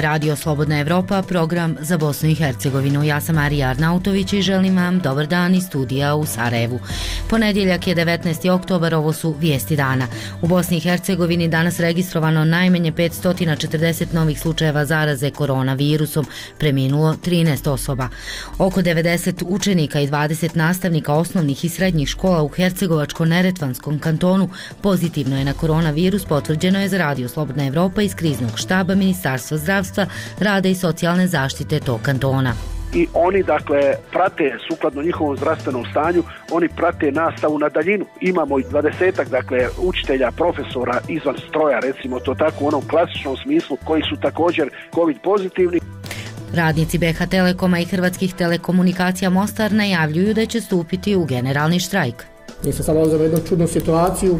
Radio Slobodna Evropa, program za Bosnu i Hercegovinu. Ja sam Marija Arnautović i želim vam dobar dan iz studija u Sarajevu. Ponedjeljak je 19. oktobar, ovo su vijesti dana. U Bosni i Hercegovini danas registrovano najmanje 540 novih slučajeva zaraze koronavirusom, preminulo 13 osoba. Oko 90 učenika i 20 nastavnika osnovnih i srednjih škola u Hercegovačko-Neretvanskom kantonu pozitivno je na koronavirus, potvrđeno je za Radio Slobodna Evropa iz kriznog štaba Ministarstva zdravstva, rada i socijalne zaštite tog kantona. I oni prate sukladno njihovom zdravstvenom stanju, oni prate nastavu na daljinu. Imamo i 20 učitelja, profesora izvan stroja, recimo to tako u onom klasičnom smislu, koji su također COVID pozitivni. Radnici BH Telekoma i Hrvatskih telekomunikacija Mostar najavljuju da će stupiti u generalni štrajk. Mi se sad dolazimo u jednu čudnu situaciju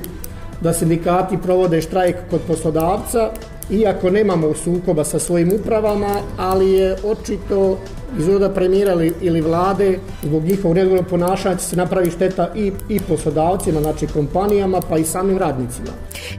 da sindikati provode štrajk kod poslodavca, iako nemamo sukoba sa svojim upravama, ali je očito iz ureda premijera ili vlade zbog njihovog neodgovornog ponašanja će se napravi šteta i poslodavcima, znači kompanijama, pa i samim radnicima.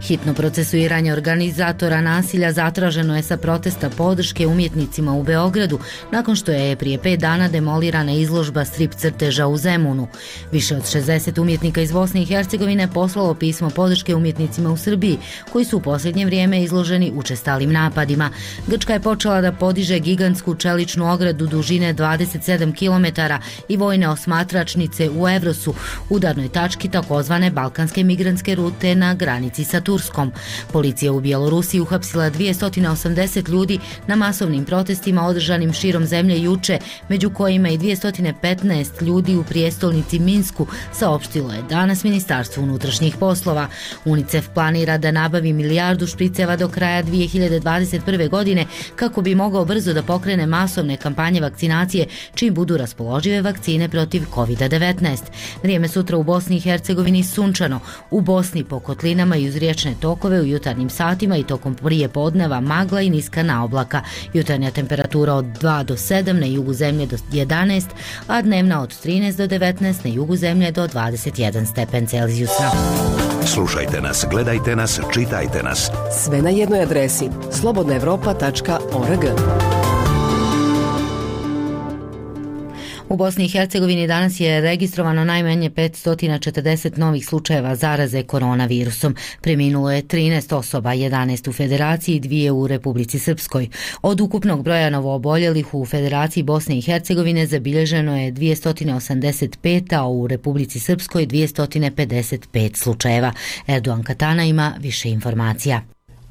Hitno procesuiranje organizatora nasilja zatraženo je sa protesta podrške umjetnicima u Beogradu, nakon što je prije 5 dana demolirana izložba strip crteža u Zemunu. Više od 60 umjetnika iz Bosne i Hercegovine poslalo pismo podrške umjetnicima u Srbiji, koji su u posljednje vrijeme izloženi učestalim napadima. Grčka je počela da podiže gigantsku čeličnu ogradu dužine 27 km i vojne osmatračnice u Evrosu, udarnoj tački takozvane balkanske migrantske rute na granici sa Turskom. Policija u Bjelorusiji uhapsila 280 ljudi na masovnim protestima održanim širom zemlje juče, među kojima i 215 ljudi u prijestolnici Minsku, saopštilo je danas Ministarstvo unutrašnjih poslova. UNICEF planira da nabavi 1 milijardu špriceva do kraja 2021. godine kako bi mogao brzo da pokrene masovne kampanje vakcinacije čim budu raspoložive vakcine protiv COVID-19. Vrijeme sutra u Bosni i Hercegovini sunčano, u Bosni po kotlinama i uz riječne tokove u jutarnjim satima i tokom prije podneva magla i niska naoblaka. Jutarnja temperatura od 2 do 7, na jugu zemlje do 11, a dnevna od 13 do 19, na jugu zemlje do 21 stepen Celzijusa. Slušajte nas, gledajte nas, čitajte nas. Sve na jednoj adresi slobodnaevropa.org. U Bosni i Hercegovini danas je registrovano najmanje 540 novih slučajeva zaraze koronavirusom. Preminulo je 13 osoba, 11 u Federaciji i 2 u Republici Srpskoj. Od ukupnog broja novooboljelih u Federaciji Bosne i Hercegovine zabilježeno je 285, a u Republici Srpskoj 255 slučajeva. Erdogan Katana ima više informacija.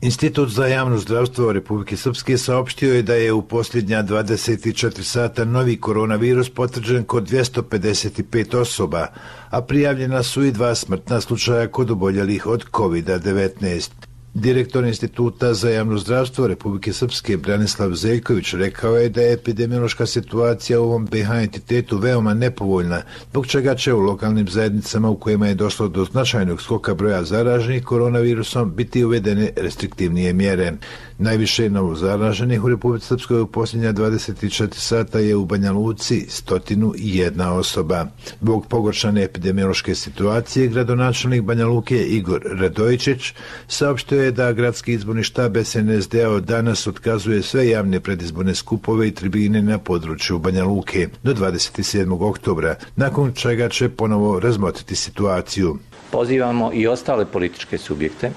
Institut za javno zdravstvo Republike Srpske saopštio je da je u posljednja 24 sata novi koronavirus potvrđen kod 255 osoba, a prijavljena su i 2 smrtna slučaja kod oboljelih od COVID-19. Direktor Instituta za javno zdravstvo Republike Srpske Branislav Zeljković rekao je da je epidemiološka situacija u ovom BH entitetu veoma nepovoljna, zbog čega će u lokalnim zajednicama u kojima je došlo do značajnog skoka broja zaraženih koronavirusom biti uvedene restriktivnije mjere. Najviše novozaraženih u Republici Srpskoj u posljednja 24 sata je u Banja Luci 101 osoba. Zbog pogoršane epidemiološke situacije, gradonačelnik Banja Luke Igor Radojičić saopštio je da gradski izborni štab SNSD-a od danas otkazuje sve javne predizborne skupove i tribine na području Banja Luke do 27. oktobra, nakon čega će ponovo razmotriti situaciju. Pozivamo i ostale političke subjekte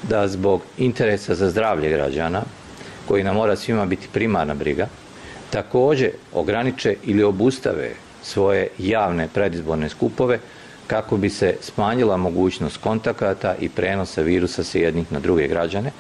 da zbog interesa za zdravlje građana, koji nam mora svima biti primarna briga, također ograniče ili obustave svoje javne predizborne skupove kako bi se smanjila mogućnost kontakata i prenosa virusa sa jednih na druge građane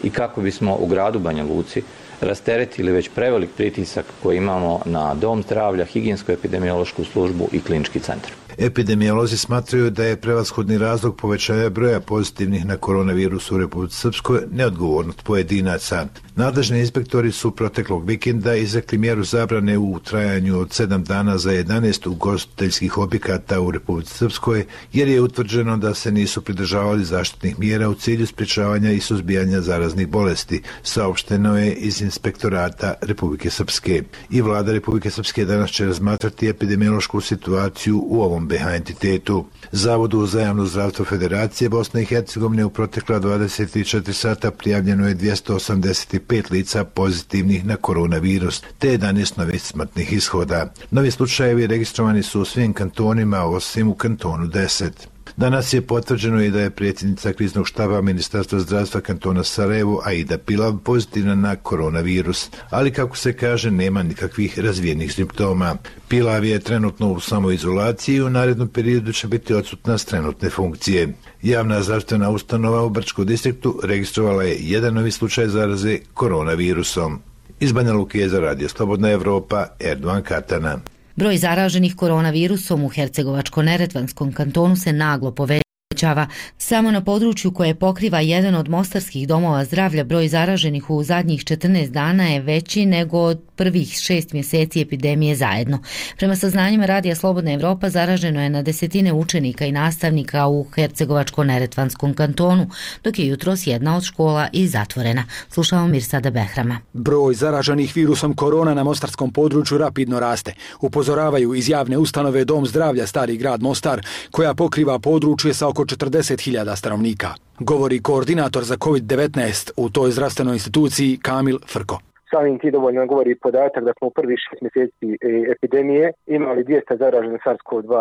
i kako bismo u gradu Banja Luci rasteretili već prevelik pritisak koji imamo na dom zdravlja, higijensko-epidemiološku službu i klinički centar. Epidemiolozi smatraju da je prevashodni razlog povećanja broja pozitivnih na koronavirus u Republici Srpskoj neodgovornost pojedinaca. Nadležni inspektori su proteklog vikenda izrekli mjeru zabrane u trajanju od 7 dana za 11 ugostiteljskih objekata u Republici Srpskoj, jer je utvrđeno da se nisu pridržavali zaštitnih mjera u cilju sprječavanja i suzbijanja zaraznih bolesti, saopšteno je iz Inspektorata Republike Srpske. I vlada Republike Srpske danas će razmatrati epidemiološku situaciju u ovom tom BH entitetu. Zavodu za javno zdravstvo Federacije Bosne i Hercegovine u protekla 24 sata prijavljeno je 285 lica pozitivnih na koronavirus, te 11 novih smrtnih ishoda. Novi slučajevi registrovani su u svim kantonima, osim u kantonu 10. Danas je potvrđeno i da je predsjednica kriznog štaba Ministarstva zdravstva kantona Sarajevo, Aida Pilav, pozitivna na koronavirus, ali kako se kaže, nema nikakvih razvijenih simptoma. Pilav je trenutno u samoizolaciji i u narednom periodu će biti odsutna s trenutne funkcije. Javna zdravstvena ustanova u Brčkom distriktu registrovala je jedan novi slučaj zaraze koronavirusom. Iz Banja Luke je za Radio Slobodna Evropa, Erdovan Katana. Broj zaraženih koronavirusom u Hercegovačko-neretvanskom kantonu se naglo povećava. Samo na području koje pokriva jedan od mostarskih domova zdravlja broj zaraženih u zadnjih 14 dana je veći nego od prvih 6 mjeseci epidemije zajedno. Prema saznanjima Radija Slobodna Evropa zaraženo je na desetine učenika i nastavnika u Hercegovačko-neretvanskom kantonu, dok je jutros jedna od škola i zatvorena. Slušamo Mirsada Behrama. Broj zaraženih virusom korona na mostarskom području rapidno raste. Upozoravaju iz javne ustanove Dom zdravlja Stari grad Mostar, koja pokriva područje sa oko 40.000 stanovnika. Govori koordinator za COVID-19 u toj zdravstvenoj instituciji Kamil Frko. Samim tim dovoljno govori podatak da smo u prvih 6 mjeseci epidemije imali 200 zaraženih SARS-CoV-2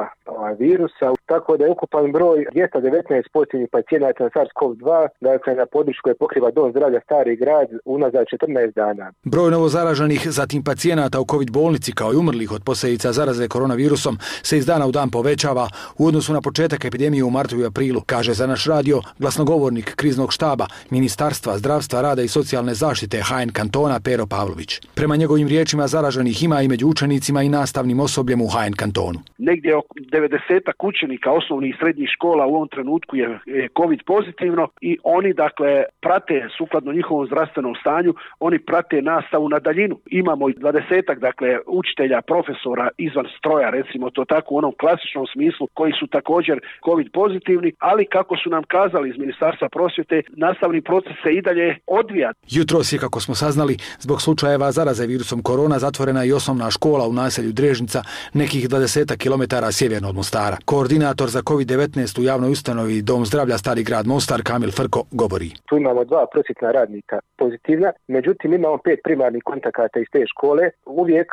virusa, tako da je ukupan broj 219 pozitivnih pacijenata na SARS-CoV-2, dakle na području koje pokriva Dom zdravlja Stari grad unazad 14 dana. Broj novozaraženih, zatim pacijenata u COVID bolnici kao i umrlih od posljedica zaraze koronavirusom se iz dana u dan povećava u odnosu na početak epidemije u martu i aprilu, kaže za naš radio glasnogovornik kriznog štaba Ministarstva zdravstva, rada i socijalne zaštite HN kantona Pero Pavlović. Prema njegovim riječima zaraženih ima i među učenicima i nastavnim osobljem u HN kantonu. Negdje oko 90 učenika osnovnih i srednjih škola u ovom trenutku je COVID pozitivno i oni dakle prate sukladno njihovom zdravstvenom stanju, oni prate nastavu na daljinu. Imamo i 20 dakle učitelja, profesora izvan stroja, recimo to tako u onom klasičnom smislu, koji su također COVID pozitivni, ali kako su nam kazali iz Ministarstva prosvjete, nastavni proces se i dalje odvija. Jutros je, kako smo saznali, zbog slučajeva zaraze virusom korona zatvorena i osnovna škola u naselju Drežnica, nekih 20 km sjeverno od Mostara. Koordinator za COVID-19 u javnoj ustanovi Dom zdravlja Stari grad Mostar Kamil Frko govori. Tu imamo 2 prosvjetna radnika pozitivna, međutim imamo 5 primarnih kontakata iz te škole. Uvijek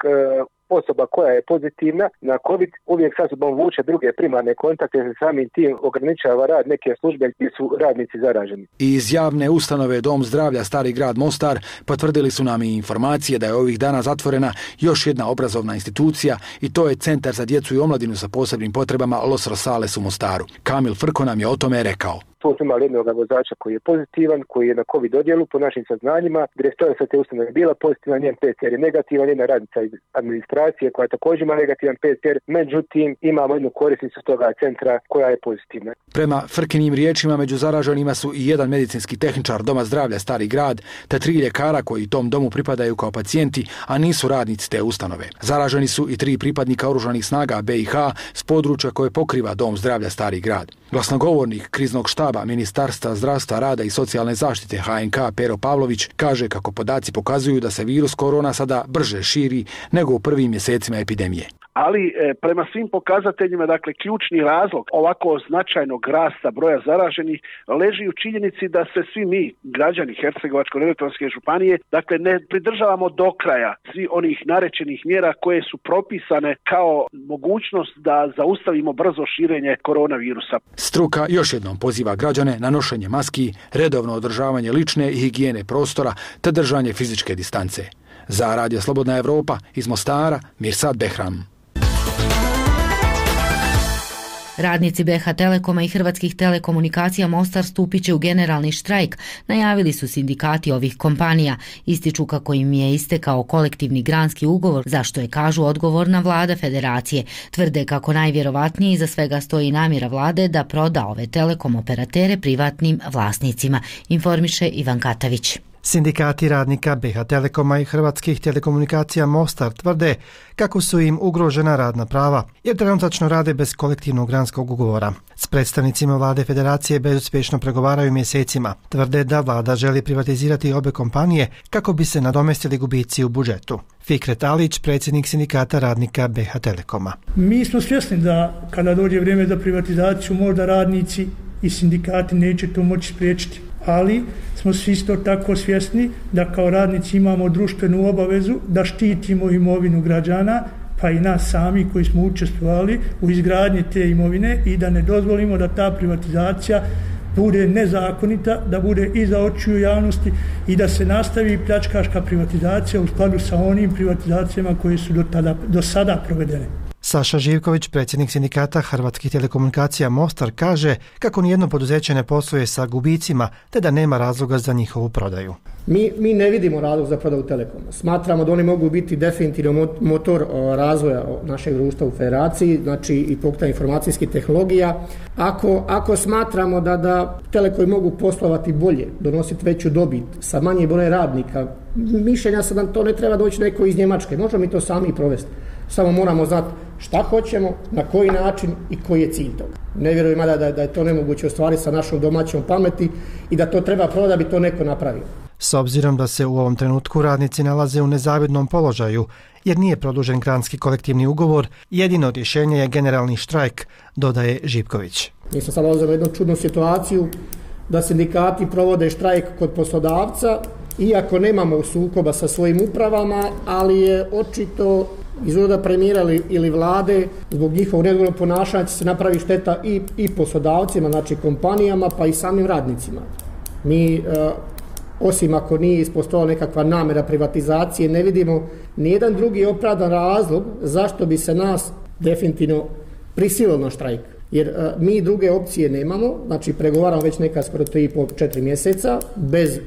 osoba koja je pozitivna na COVID uvijek sa sobom vuče druge primarne kontakte, se samim tim ograničava rad neke službe gdje su radnici zaraženi. Iz javne ustanove Dom zdravlja Stari grad Mostar potvrdili su nam i informacije da je ovih dana zatvorena još jedna obrazovna institucija i to je Centar za djecu i omladinu sa posebnim potrebama Los Rosales u Mostaru. Kamil Frko nam je o tome rekao. Tu smo imali jednog vozača koji je pozitivan, koji je na COVID odjelu po našim saznanjima. Direktorica te ustanove je bila pozitivna, njen PCR je negativan, jedna radnica iz administracije koja također ima negativan PCR, međutim imamo jednu korisnicu toga centra koja je pozitivna. Prema Frkinim riječima među zaraženima su i jedan medicinski tehničar Doma zdravlja Stari grad, te 3 ljekara koji tom domu pripadaju kao pacijenti, a nisu radnici te ustanove. Zaraženi su i 3 pripadnika oružanih snaga BiH s područja koje pokriva Dom zdravlja Stari grad. Glasnogovornik kriznog štaba Ministarstva zdravstva, rada i socijalne zaštite HNK Pero Pavlović kaže kako podaci pokazuju da se virus korona sada brže širi nego u prvim mjesecima epidemije. Ali prema svim pokazateljima, dakle, ključni razlog ovako značajnog rasta broja zaraženih leži u činjenici da se svi mi, građani Hercegovačko-neretvanske županije, dakle, ne pridržavamo do kraja svi onih narečenih mjera koje su propisane kao mogućnost da zaustavimo brzo širenje koronavirusa. Struka još jednom poziva građane na nošenje maski, redovno održavanje lične i higijene prostora te držanje fizičke distance. Za Radio Slobodna Evropa iz Mostara, Mirsad Behram. Radnici BH Telekoma i Hrvatskih telekomunikacija Mostar stupit će u generalni štrajk, najavili su sindikati ovih kompanija. Ističu kako im je istekao kolektivni granski ugovor, za što je, kažu, odgovorna vlada federacije. Tvrde kako najvjerovatnije iza svega stoji namjera vlade da proda ove telekom operatere privatnim vlasnicima, informiše Ivan Katavić. Sindikati radnika BiH Telekoma i Hrvatskih telekomunikacija Mostar tvrde kako su im ugrožena radna prava, jer trenutačno rade bez kolektivnog granskog ugovora. S predstavnicima vlade federacije bezuspješno pregovaraju mjesecima. Tvrde da vlada želi privatizirati obe kompanije kako bi se nadomestili gubici u budžetu. Fikret Alić, predsjednik Sindikata radnika BiH Telekoma. Mi smo svjesni da kada dođe vrijeme za privatizaciju možda radnici i sindikati neće to moći spriječiti. Ali smo svi isto tako svjesni da kao radnici imamo društvenu obavezu da štitimo imovinu građana, pa i nas sami koji smo učestvovali u izgradnji te imovine i da ne dozvolimo da ta privatizacija bude nezakonita, da bude iza očiju javnosti i da se nastavi pljačkaška privatizacija u skladu sa onim privatizacijama koje su do sada provedene. Saša Živković, predsjednik Sindikata Hrvatskih telekomunikacija Mostar, kaže kako nijedno poduzeće ne posluje sa gubicima te da nema razloga za njihovu prodaju. Mi ne vidimo razlog za prodaju Telekoma. Smatramo da oni mogu biti definitivno motor razvoja našeg društva u federaciji, znači i pokretanja informacijskih tehnologija. Ako smatramo da Telekomi mogu poslovati bolje, donositi veću dobit sa manje brojem radnika, mišljenja sam da to ne treba doći neko iz Njemačke. Možemo mi to sami provesti. Samo moramo znati šta hoćemo, na koji način i koji je cilj toga. Ne vjerujem da je to nemoguće ostvariti sa našom domaćom pameti i da to treba prodati da bi to neko napravio. S obzirom da se u ovom trenutku radnici nalaze u nezavidnom položaju, jer nije produžen granski kolektivni ugovor, jedino rješenje je generalni štrajk, dodaje Živković. Mi smo sad ulazili u jednu čudnu situaciju da sindikati provode štrajk kod poslodavca, iako nemamo sukoba sa svojim upravama, ali je očito izgleda premijera ili vlade zbog njihovog neodgovornog ponašanja će se napravi šteta i poslodavcima, znači kompanijama, pa i samim radnicima. Mi, osim ako nije ispostojala nekakva namjera privatizacije, ne vidimo nijedan drugi opravdan razlog zašto bi se nas definitivno prisililo na štrajk. Jer mi druge opcije nemamo, znači pregovaramo već neka skoro 3,5-4 mjeseca bez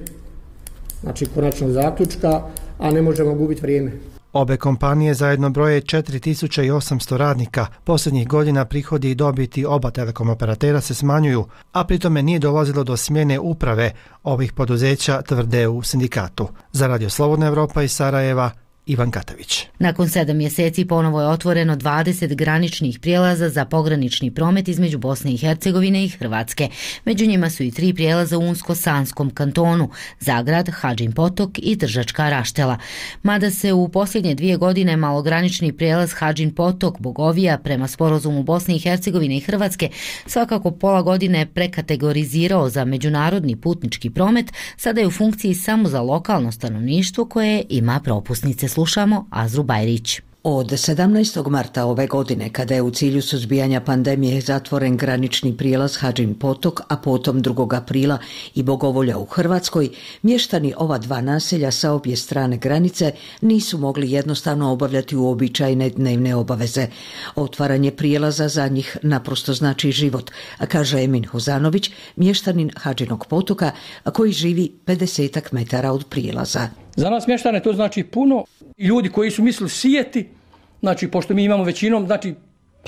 konačnog zaključka, a ne možemo gubiti vrijeme. Obe kompanije zajedno broje 4800 radnika. Posljednjih godina prihodi i dobiti oba telekom operatera se smanjuju, a pritome nije dolazilo do smjene uprave ovih poduzeća, tvrde u sindikatu. Za Radio Slobodna Evropa iz Sarajeva, Ivan Katavić. Nakon 7 mjeseci ponovo je otvoreno 20 graničnih prijelaza za pogranični promet između Bosne i Hercegovine i Hrvatske. Među njima su i 3 prijelaza u Unsko-Sanskom kantonu, Zagrad, Hadžin Potok i Tržačka Raštela. Mada se u posljednje 2 godine malogranični prijelaz Hadžin Potok Bogovija prema sporazumu Bosne i Hercegovine i Hrvatske svakako pola godine prekategorizirao za međunarodni putnički promet, sada je u funkciji samo za lokalno stanovništvo koje ima propusnice. Slušamo Azru Bajrić. Od 17. marta ove godine, kada je u cilju suzbijanja pandemije zatvoren granični prijelaz Hadžin Potok, a potom 2. aprila i Bogovolja u Hrvatskoj, mještani ova 2 naselja sa obje strane granice nisu mogli jednostavno obavljati uobičajene dnevne obaveze. Otvaranje prijelaza za njih naprosto znači život, kaže Emin Hozanović, mještanin Hadžinog Potoka, koji živi 50 metara od prijelaza. Za nas mještane to znači puno. Ljudi koji su mislili sijeti, znači pošto mi imamo većinom, znači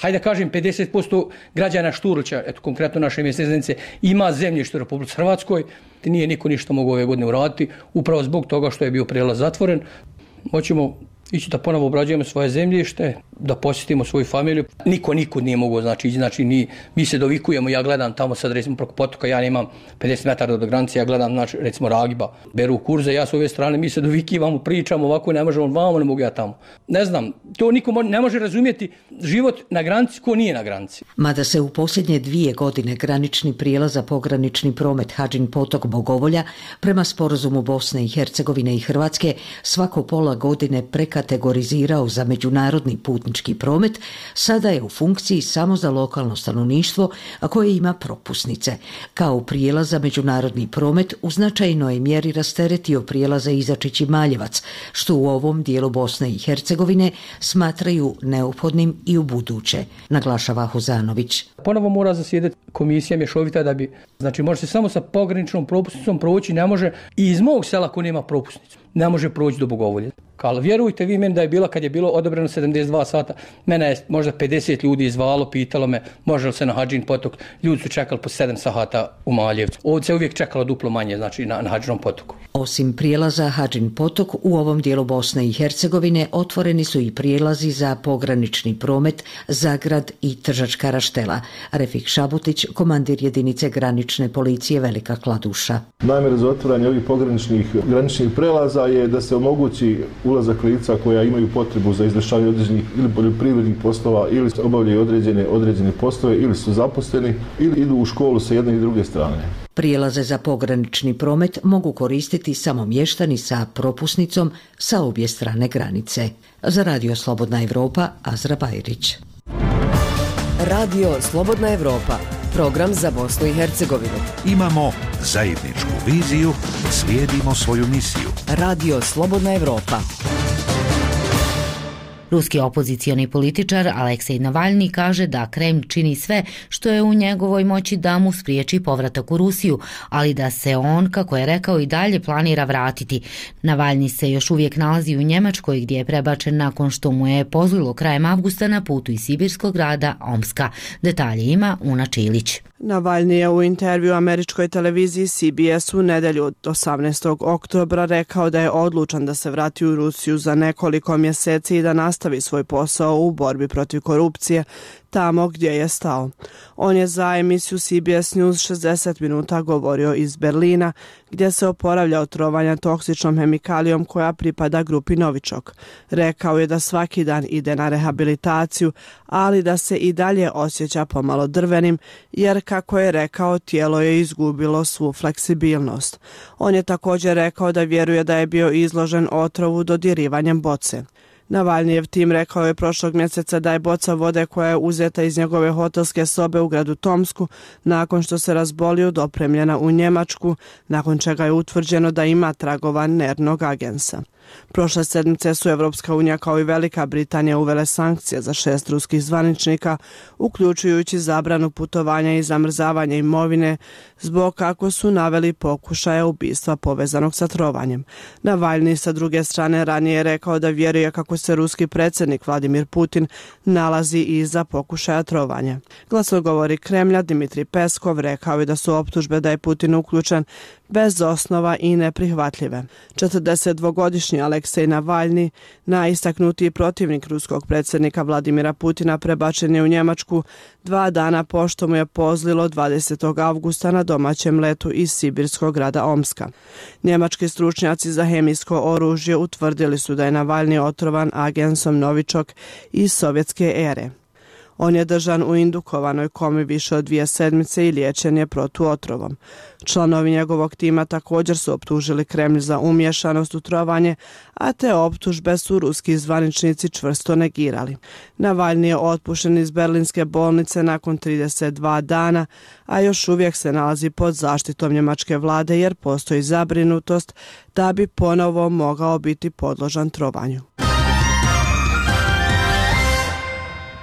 hajde kažem 50% građana Šturuća, eto konkretno naše mjesne zajednice, ima zemljište u Republici Hrvatskoj, nije niko ništa mogao ove godine uraditi, upravo zbog toga što je bio prijelaz zatvoren. Hoćemo ići da ponovo obrađujemo svoje zemljište, da posjetimo svoju familiju. Niko nikud nije mogao, mi se dovikujemo, ja gledam tamo sad recimo preko potoka, ja nemam 50 metara do granice, ja gledam recimo Ragiba, beru kurze, ja s ove strane, mi se dovikivamo, pričamo ovako, ne možemo vamo, ne mogu ja tamo. Ne znam, to niko ne može razumjeti život na granici ko nije na granici. Mada se u posljednje 2 godine granični prijelaz za pogranični promet Hadžin Potok Bogovolja prema sporazumu Bosne i Hercegovine i Hrvatske svako pola godine kategorizirao za međunarodni putnički promet, sada je u funkciji samo za lokalno stanovništvo, a koje ima propusnice. Kao prijelaz za međunarodni promet u značajnoj mjeri rasteretio prijelaza Izačić i Maljevac, što u ovom dijelu Bosne i Hercegovine smatraju neophodnim i u buduće, naglašava Hozanović. Ponovo mora zasjedati komisija mješovita da bi, znači može se samo sa pograničnom propusnicom proći, ne može i iz mog sela ko nema propusnicu, ne može proći do Bogovolje. Ali vjerujte vi meni da je bilo, kad je bilo odobreno 72 sata, mene je možda 50 ljudi zvalo, pitalo me može li se na Hadžin potok, ljudi su čekali po 7 sata u Maljevcu. Ovdje se uvijek čekalo duplo manje, znači na Hadžinom potoku. Osim prijelaza Hadžin potok, u ovom dijelu Bosne i Hercegovine otvoreni su i prijelazi za pogranični promet Zagrad i Tržačka Raštela. Refik Šabutić, komandir jedinice granične policije Velika Kladuša. Namjera za otvaranje ovih pograničnih graničnih prelaza je da se omogući ulazak lica koja imaju potrebu za izvršavanje određenih ili poljoprivrednih poslova ili obavljaju određene poslove ili su zaposleni ili idu u školu sa jedne i druge strane. Prijelaze za pogranični promet mogu koristiti samo mještani sa propusnicom sa obje strane granice. Za Radio Slobodna Evropa, Azra Bajrić. Radio Slobodna Evropa, program za Bosnu i Hercegovinu. Imamo zajedničku viziju, slijedimo svoju misiju. Radio Slobodna Evropa. Ruski opozicioni političar Aleksej Navalni kaže da Kreml čini sve što je u njegovoj moći da mu spriječi povratak u Rusiju, ali da se on, kako je rekao, i dalje planira vratiti. Navalni se još uvijek nalazi u Njemačkoj gdje je prebačen nakon što mu je pozlilo krajem avgusta na putu iz sibirskog grada Omska. Detalje ima Una Čilić. Navalni je u intervju američkoj televiziji CBS u nedjelju od 18. oktobra rekao da je odlučan da se vrati u Rusiju za nekoliko mjeseci i da nastavi svoj posao u borbi protiv korupcije tamo gdje je stao. On je za emisiju CBS News 60 minuta govorio iz Berlina, gdje se oporavlja od trovanja toksičnom hemikalijom koja pripada grupi Novičok. Rekao je da svaki dan ide na rehabilitaciju, ali da se i dalje osjeća pomalo drvenim, jer, kako je rekao, tijelo je izgubilo svu fleksibilnost. On je također rekao da vjeruje da je bio izložen otrovu dodirivanjem boce. Navalnijev tim rekao je prošlog mjeseca da je boca vode koja je uzeta iz njegove hotelske sobe u gradu Tomsku nakon što se razbolio dopremljena u Njemačku, nakon čega je utvrđeno da ima tragova nervnog agensa. Prošle sedmice su Evropska unija kao i Velika Britanija uvele sankcije za 6 ruskih zvaničnika, uključujući zabranu putovanja i zamrzavanje imovine, zbog, kako su naveli, pokušaja ubistva povezanog sa trovanjem. Navalni sa druge strane ranije je rekao da vjeruje kako se ruski predsjednik Vladimir Putin nalazi iza pokušaja trovanja. Glasnogovornik Kremlja Dmitrij Peskov rekao je da su optužbe da je Putin uključen bez osnova i neprihvatljive. 42-godišnji Aleksej Navalni, najistaknutiji protivnik ruskog predsjednika Vladimira Putina, prebačen je u Njemačku 2 dana pošto mu je pozlilo 20. avgusta na domaćem letu iz sibirskog grada Omska. Njemački stručnjaci za hemijsko oružje utvrdili su da je Navalni otrovan agensom Novičok iz sovjetske ere. On je držan u indukovanoj komi više od 2 sedmice i liječen je protuotrovom. Članovi njegovog tima također su optužili Kremlj za umješanost u trovanje, a te optužbe su ruski zvaničnici čvrsto negirali. Navalni je otpušten iz berlinske bolnice nakon 32 dana, a još uvijek se nalazi pod zaštitom njemačke vlade jer postoji zabrinutost da bi ponovo mogao biti podložan trovanju.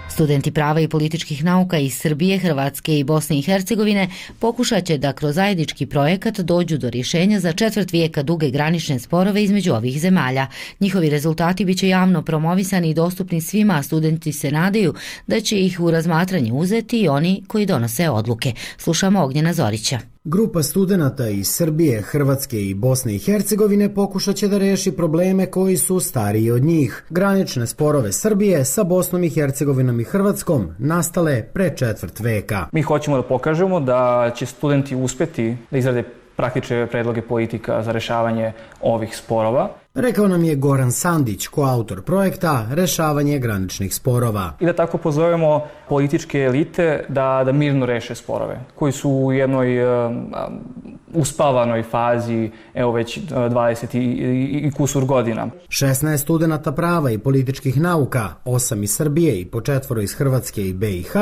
Studenti prava i političkih nauka iz Srbije, Hrvatske i Bosne i Hercegovine pokušat će da kroz zajednički projekat dođu do rješenja za 1/4 vijeka duge granične sporove između ovih zemalja. Njihovi rezultati biće javno promovisani i dostupni svima, a studenti se nadaju da će ih u razmatranje uzeti i oni koji donose odluke. Slušamo Ognjena Zorića. Grupa studenata iz Srbije, Hrvatske i Bosne i Hercegovine pokušat će da reši probleme koji su stariji od njih. Granične sporove Srbije sa Bosnom i Hercegovinom i Hrvatskom nastale pre 1/4 veka. Mi hoćemo da pokažemo da će studenti uspjeti da izrade praktične predloge politika za rešavanje ovih sporova. Rekao nam je Goran Sandić, koautor projekta Rešavanje graničnih sporova. I da tako pozovemo političke elite da mirno reše sporove, koji su u jednoj uspavanoj fazi, evo već 20 i kusur godina. 16 studenata prava i političkih nauka, 8 iz Srbije i po 4 iz Hrvatske i BiH,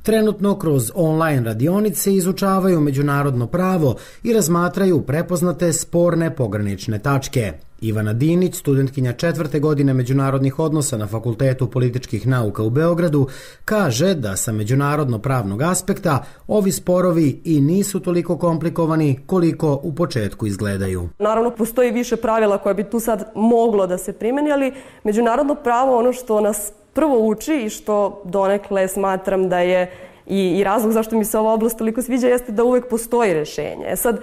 trenutno kroz online radionice izučavaju međunarodno pravo i razmatraju prepoznate sporne pogranične tačke. Ivana Dinić, studentkinja 4. godine međunarodnih odnosa na Fakultetu političkih nauka u Beogradu, kaže da sa međunarodno-pravnog aspekta ovi sporovi i nisu toliko komplikovani koliko u početku izgledaju. Naravno, postoji više pravila koja bi tu sad moglo da se primeni, ali međunarodno pravo, ono što nas prvo uči i što donekle smatram da je i razlog zašto mi se ova oblast toliko sviđa jeste da uvek postoji rešenje. Sad,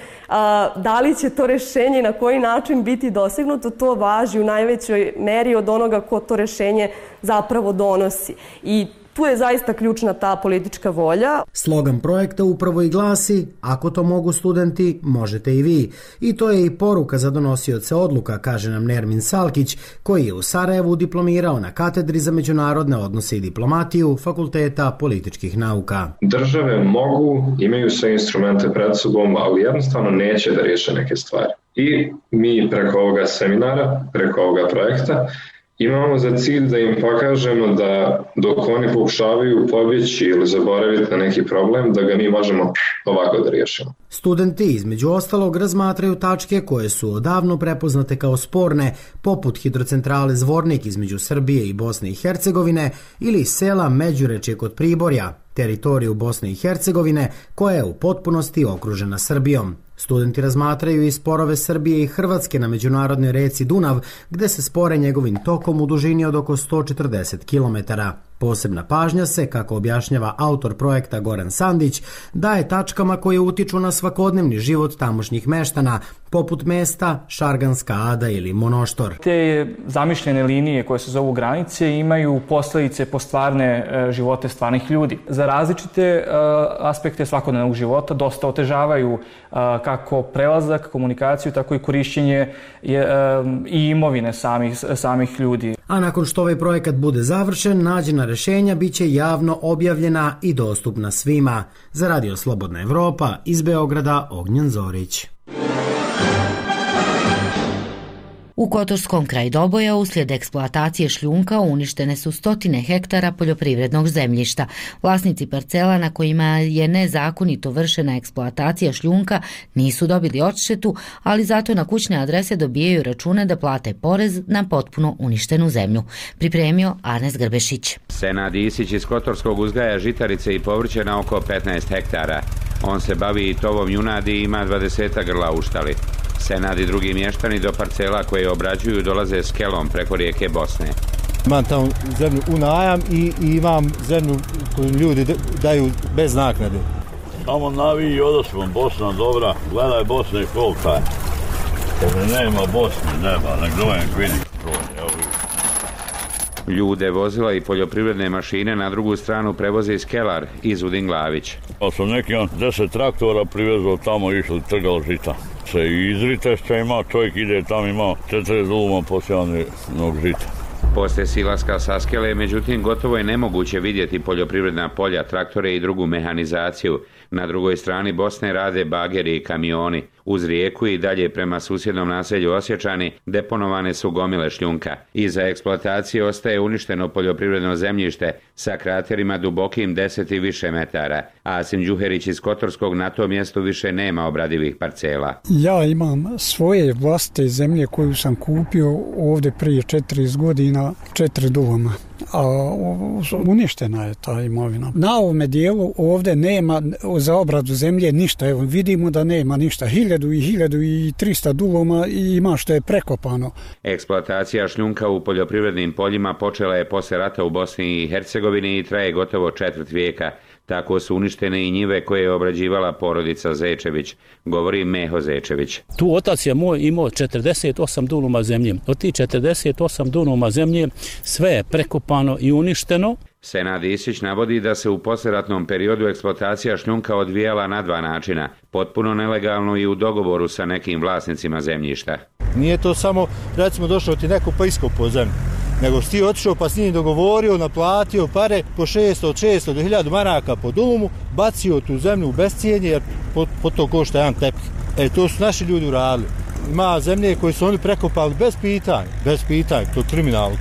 da li će to rešenje i na koji način biti dosegnuto, to važi u najvećoj meri od onoga ko to rešenje zapravo donosi. I tu je zaista ključna ta politička volja. Slogan projekta upravo i glasi: ako to mogu studenti, možete i vi. I to je i poruka za donosioce odluka, kaže nam Nermin Salkić, koji je u Sarajevu diplomirao na katedri za međunarodne odnose i diplomatiju Fakulteta političkih nauka. Države mogu, imaju sve instrumente pred sobom, ali jednostavno neće da riješe neke stvari. I mi preko ovoga seminara, preko ovoga projekta, imamo za cilj da im pokažemo da dok oni pokušavaju pobjeći ili zaboraviti na neki problem, da ga mi možemo ovako da riješimo. Studenti između ostalog razmatraju tačke koje su odavno prepoznate kao sporne, poput hidrocentrale Zvornik između Srbije i Bosne i Hercegovine ili sela Međurečje kod Priborja, teritoriju Bosne i Hercegovine koja je u potpunosti okružena Srbijom. Studenti razmatraju i sporove Srbije i Hrvatske na međunarodnoj reci Dunav, gde se spore njegovim tokom u dužini od oko 140 km. Posebna pažnja se, kako objašnjava autor projekta Goran Sandić, daje tačkama koje utiču na svakodnevni život tamošnjih meštana, poput mesta Šarganska Ada ili Monoštor. Te zamišljene linije koje se zovu granice imaju posljedice po stvarne živote stvarnih ljudi. Za različite aspekte svakodnevnog života dosta otežavaju kako prelazak, komunikaciju, tako i korišćenje i imovine samih ljudi. A nakon što ovaj projekat bude završen, nađena rešenja biće javno objavljena i dostupna svima. Za Radio Slobodna Evropa, iz Beograda, Ognjen Zorić. U Kotorskom kraju Doboja uslijed eksploatacije šljunka uništene su 100 hektara poljoprivrednog zemljišta. Vlasnici parcela na kojima je nezakonito vršena eksploatacija šljunka nisu dobili odštetu, ali zato na kućne adrese dobijaju račune da plate porez na potpuno uništenu zemlju. Pripremio Arnes Grbešić. Senad Isić iz Kotorskog uzgaja žitarice i povrće na oko 15 hektara. On se bavi i tovom junadi i ima 20 grla u štali. Senad i drugi mještani do parcela koje obrađuju dolaze s kelom preko rijeke Bosne. Imam tamo zemlju u najam i imam zemlju koju ljudi daju bez naknade. Tamo naviji odosmo, Bosna dobra, gledaj Bosne kolika je. Nema Bosne, nema, nek dojem vidi. Ljude, vozila i poljoprivredne mašine na drugu stranu prevoze iz Kelar, iz Udinglavić. Pa sam neki 10 traktora privezao tamo, išli trgalo žita. Se i izritešća ima, čovjek ide tamo, ima 40 duluma posijanog žita. Poslije silaska sa skele, međutim, gotovo je nemoguće vidjeti poljoprivredna polja, traktore i drugu mehanizaciju. Na drugoj strani Bosne rade bageri i kamioni. Uz rijeku i dalje prema susjednom naselju Osječani deponovane su gomile šljunka. Iza eksploatacije ostaje uništeno poljoprivredno zemljište sa kraterima dubokim 10 i više metara. Asim Đuherić iz Kotorskog na tom mjestu više nema obradivih parcela. Ja imam svoje vlastite zemlje koju sam kupio ovdje prije 40 godina, 4 duluma. A uništena je ta imovina. Na ovome dijelu ovdje nema za obradu zemlje ništa. Evo, vidimo da nema ništa. 1300 duloma i ima što je prekopano. Eksploatacija šljunka u poljoprivrednim poljima počela je poslije rata u Bosni i Hercegovini i traje gotovo 4 vijeka. Tako su uništene i njive koje je obrađivala porodica Zečević, govori Meho Zečević. Tu otac je moj imao 48 duluma zemlje. Od tih 48 duluma zemlje sve je prekopano i uništeno. Senad Isić navodi da se u poslijeratnom periodu eksploatacija šljunka odvijala na 2 načina, potpuno nelegalno i u dogovoru sa nekim vlasnicima zemljišta. Nije to samo, recimo, došao ti neko pa iskopao zemlju, nego si ti otišao pa s njim dogovorio, naplatio pare po 600 do 1000 maraka po dulumu, bacio tu zemlju u bescijenje jer po to košta jedan tepih. To su naši ljudi uradili. Ima zemlje koje su oni prekopali bez pitanja, to je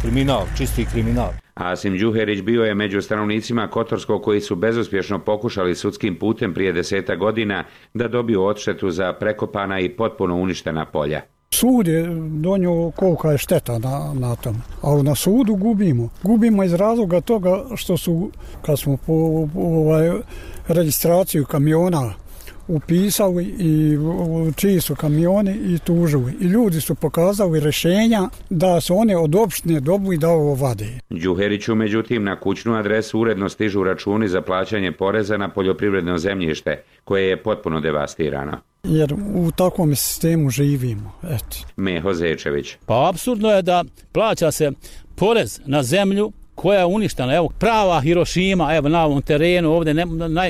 kriminal, čisti kriminal. Asim Đuherić bio je među stanovnicima Kotorskog koji su bezuspješno pokušali sudskim putem prije 10 godina da dobiju odštetu za prekopana i potpuno uništena polja. Sud je donio kolika je šteta na tom, ali na sudu gubimo. Gubimo iz razloga toga što su, kad smo po registraciju kamiona upisali i čiji su kamioni i tužili. I ljudi su pokazali rješenja da su one od opštine dobili da ovo vade. Đuheriću, međutim, na kućnu adresu uredno stižu računi za plaćanje poreza na poljoprivredno zemljište, koje je potpuno devastirano. Jer u takvom sistemu živimo. Eto. Meho Zečević. Pa apsurdno je da plaća se porez na zemlju koja je uništena. Evo, prava Hirošima, evo na ovom terenu, ovdje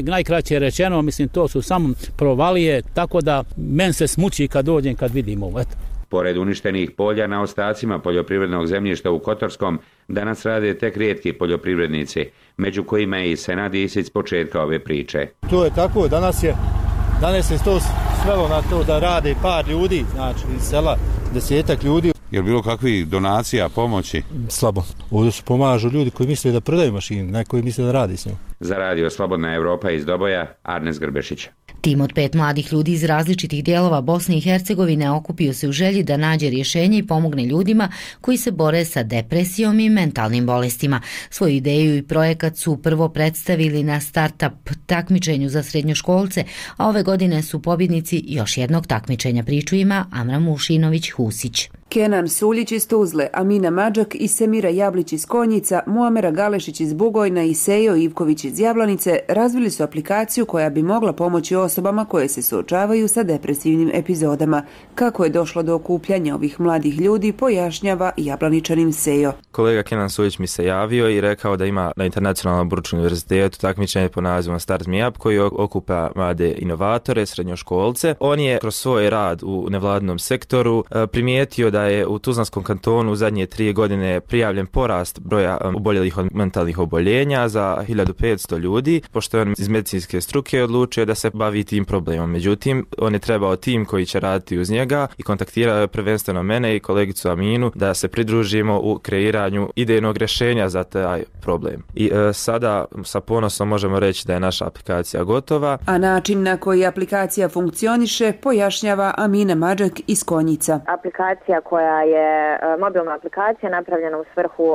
najkraće je rečeno, mislim, to su samo provalije, tako da men se smuči kad dođem, kad vidim ovo. Eto. Pored uništenih polja, na ostacima poljoprivrednog zemljišta u Kotorskom danas rade tek rijetki poljoprivrednici, među kojima je i Senad Isić s početka ove priče. To je tako, danas se to svelo na to da rade par ljudi, znači iz sela 10-ak ljudi. Je li bilo kakvih donacija, pomoći? Slabo. Ovdje se pomažu ljudi koji misle da prodaju mašinu, ne koji misle da radi s njom. Za radio Slobodna Evropa iz Doboja, Arnes Grbešić. Tim od 5 mladih ljudi iz različitih dijelova Bosne i Hercegovine okupio se u želji da nađe rješenje i pomogne ljudima koji se bore sa depresijom i mentalnim bolestima. Svoju ideju i projekat su prvo predstavili na start-up takmičenju za srednjoškolce, a ove godine su pobjednici još jednog takmičenja. Priču ima Amra Mušinović-Husić. Kenan Suljić iz Tuzle, Amina Mađak i Semira Jablić iz Konjica, Muamera Galešić iz Bugojna i Sejo Ivković iz Jablanice razvili su aplikaciju koja bi mogla pomoći osobama koje se suočavaju sa depresivnim epizodama. Kako je došlo do okupljanja ovih mladih ljudi, pojašnjava Jablaničanin Sejo. Kolega Kenan Suljić mi se javio i rekao da ima na Internacionalnom Bručkom univerzitetu takmičenje po nazivom Start Me Up koji okupa mlade inovatore, srednjoškolce. On je kroz svoj rad u nevladinom sektoru primijetio da je u Tuzlanskom kantonu u zadnje 3 godine prijavljen porast broja oboljelih od mentalnih oboljenja za 1500 ljudi, pošto je on iz medicinske struke odlučio da se bavi tim problemom. Međutim, on je trebao tim koji će raditi uz njega i kontaktirao je prvenstveno mene i kolegicu Aminu da se pridružimo u kreiranju idejnog rješenja za taj problem. I sada sa ponosom možemo reći da je naša aplikacija gotova. A način na koji aplikacija funkcioniše pojašnjava Amina Mađak iz Konjica. Aplikacija koja je mobilna aplikacija napravljena u svrhu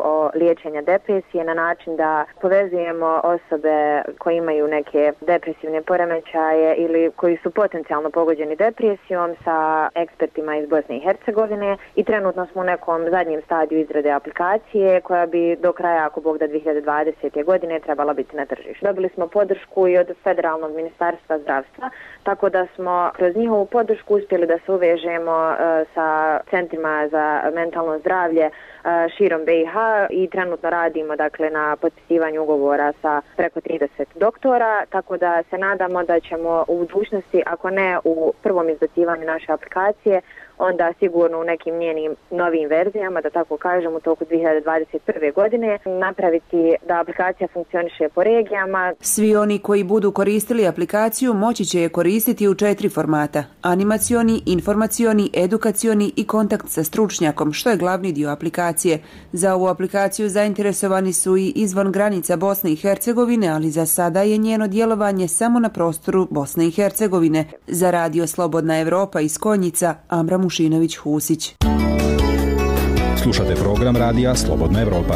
liječenja depresije na način da povezujemo osobe koje imaju neke depresivne poremećaje ili koji su potencijalno pogođeni depresijom sa ekspertima iz Bosne i Hercegovine i trenutno smo u nekom zadnjem stadiju izrade aplikacije koja bi do kraja, ako Bog da 2020. godine, trebala biti na tržištu. Dobili smo podršku i od Federalnog ministarstva zdravstva, tako da smo kroz njihovu podršku uspjeli da se uvežemo sa centrima za mentalno zdravlje širom BiH i trenutno radimo dakle na potpisivanju ugovora sa preko 30 doktora, tako da se nadamo da ćemo u budućnosti, ako ne u prvom izbacivanju naše aplikacije, onda sigurno u nekim njenim novim verzijama, da tako kažem, u toku 2021. godine napraviti da aplikacija funkcioniše po regijama. Svi oni koji budu koristili aplikaciju moći će je koristiti u 4 formata: animacioni, informacioni, edukacioni i kontakt sa stručnjakom, što je glavni dio aplikacije. Za ovu aplikaciju zainteresovani su i izvan granica Bosne i Hercegovine, ali za sada je njeno djelovanje samo na prostoru Bosne i Hercegovine. Za radio Slobodna Evropa iz Konjica, Amra Mušinović-Husić. Slušate program radija Slobodna Evropa.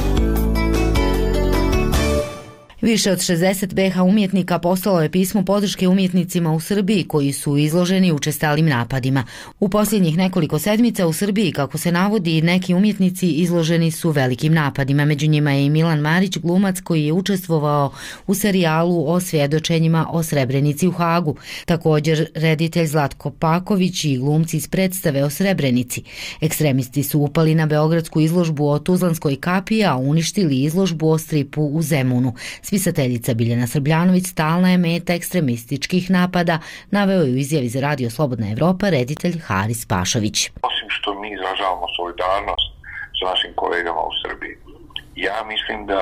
Više od 60 BH umjetnika poslalo je pismo podrške umjetnicima u Srbiji koji su izloženi učestalim napadima. U posljednjih nekoliko sedmica u Srbiji, kako se navodi, neki umjetnici izloženi su velikim napadima. Među njima je i Milan Marić, glumac koji je učestvovao u serijalu o svjedočenjima o Srebrenici u Hagu. Također reditelj Zlatko Paković i glumci iz predstave o Srebrenici. Ekstremisti su upali na beogradsku izložbu o Tuzlanskoj kapiji, a uništili izložbu o stripu u Zemunu. Spisateljica Biljana Srbljanović stalna je meta ekstremističkih napada, naveo je u izjavi za radio Slobodna Evropa reditelj Haris Pašović. Osim što mi izražavamo solidarnost sa našim kolegama u Srbiji, ja mislim da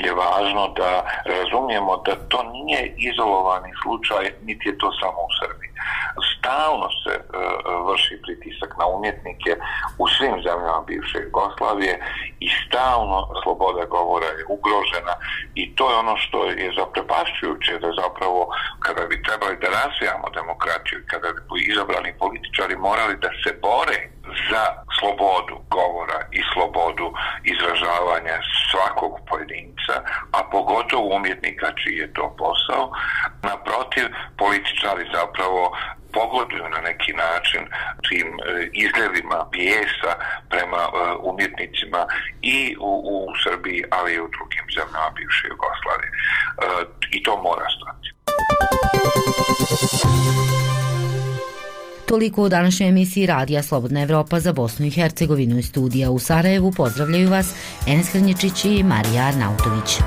je važno da razumijemo da to nije izolovani slučaj, niti je to samo u Srbiji. stalno se vrši pritisak na umjetnike u svim zemljama bivše Jugoslavije i stalno sloboda govora je ugrožena i to je ono što je zaprepašćujuće, da zapravo kada bi trebali da razvijamo demokratiju i kada bi izabrani političari morali da se bore za slobodu govora i slobodu izražavanja svakog pojedinca, a pogotovo umjetnika čiji je to posao. Naprotiv, političari zapravo pogoduju na neki način tim izljevima bijesa prema umjetnicima i u Srbiji, ali i u drugim zemljama bivše Jugoslavije. I to mora stati. Toliko u današnjoj emisiji Radija Slobodna Evropa za Bosnu i Hercegovinu. Iz studija u Sarajevu pozdravljaju vas Enes Hrnječić i Marija Arnautović.